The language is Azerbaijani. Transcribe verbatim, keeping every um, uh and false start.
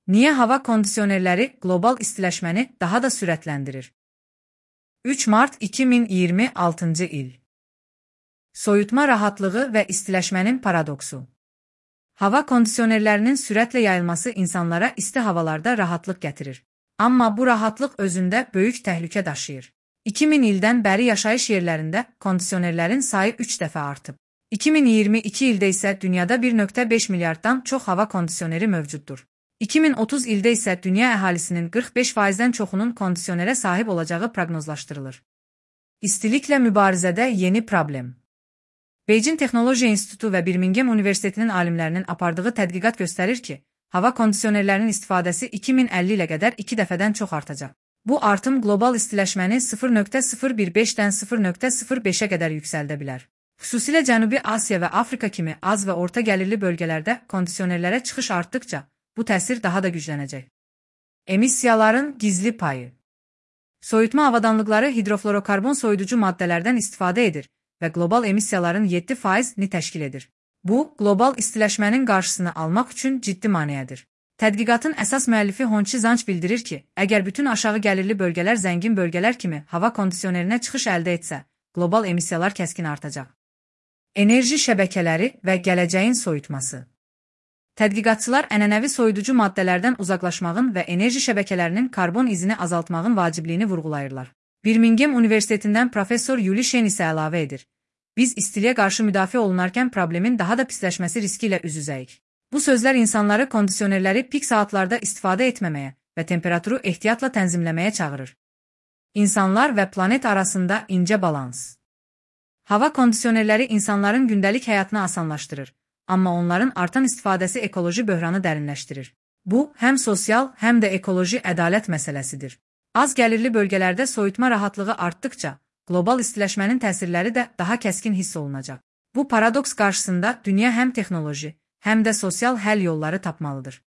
Niyə hava kondisionerləri qlobal istiləşməni daha da sürətləndirir? üç mart iki min iyirmi altıncı il. Soyutma rahatlığı və istiləşmənin paradoksu. Hava kondisionerlərinin sürətlə yayılması insanlara isti havalarda rahatlıq gətirir. Amma bu rahatlıq özündə böyük təhlükə daşıyır. iki min ildən bəri yaşayış yerlərində kondisionerlərin sayı üç dəfə artıb. iki min iyirmi iki ildə isə dünyada bir nöqtə beş milyarddan çox hava kondisioneri mövcuddur. iki min otuz ildə isə dünya əhalisinin qırx beş faizdən çoxunun kondisionerə sahib olacağı proqnozlaşdırılır. İstiliklə mübarizədə yeni problem. Beijing Texnologiya İnstitutu və Birmingham Universitetinin alimlərinin apardığı tədqiqat göstərir ki, hava kondisionerlərinin istifadəsi iki min əlli ilə qədər iki dəfədən çox artacaq. Bu artım qlobal istiləşməni sıfır nöqtə sıfır bir beşdən sıfır nöqtə sıfır beşə qədər yüksəldə bilər. Xüsusilə Cənubi Asiya və Afrika kimi az və orta gəlirli bölgələrdə kondisionerlərə çıxış artdıqca, bu təsir daha da güclənəcək. Emissiyaların gizli payı. Soyutma avadanlıqları hidrofluorokarbon soyuducu maddələrdən istifadə edir və qlobal emissiyaların yeddi faizini təşkil edir. Bu, qlobal istiləşmənin qarşısını almaq üçün ciddi maneədir. Tədqiqatın əsas müəllifi Honchi Zanch bildirir ki, əgər bütün aşağı gəlirli bölgələr zəngin bölgələr kimi hava kondisionerinə çıxış əldə etsə, qlobal emissiyalar kəskin artacaq. Enerji şəbəkələri və gələcəyin soyutması. Tədqiqatçılar ənənəvi soyuducu maddələrdən uzaqlaşmağın və enerji şəbəkələrinin karbon izini azaltmağın vacibliyini vurğulayırlar. Birmingham Universitetindən professor Yuli Shen isə əlavə edir. Biz istiliyə qarşı müdafiə olunarkən problemin daha da pisləşməsi riski ilə üz-üzəyik. Bu sözlər insanları kondisionerləri pik saatlarda istifadə etməməyə və temperaturu ehtiyatla tənzimləməyə çağırır. İnsanlar və planet arasında incə balans. Hava kondisionerləri insanların gündəlik həyatını asanlaşdırır, amma onların artan istifadəsi ekoloji böhranı dərinləşdirir. Bu, həm sosial, həm də ekoloji ədalət məsələsidir. Az gəlirli bölgələrdə soyutma rahatlığı artdıqca, qlobal istiləşmənin təsirləri də daha kəskin hiss olunacaq. Bu paradoks qarşısında dünya həm texnoloji, həm də sosial həll yolları tapmalıdır.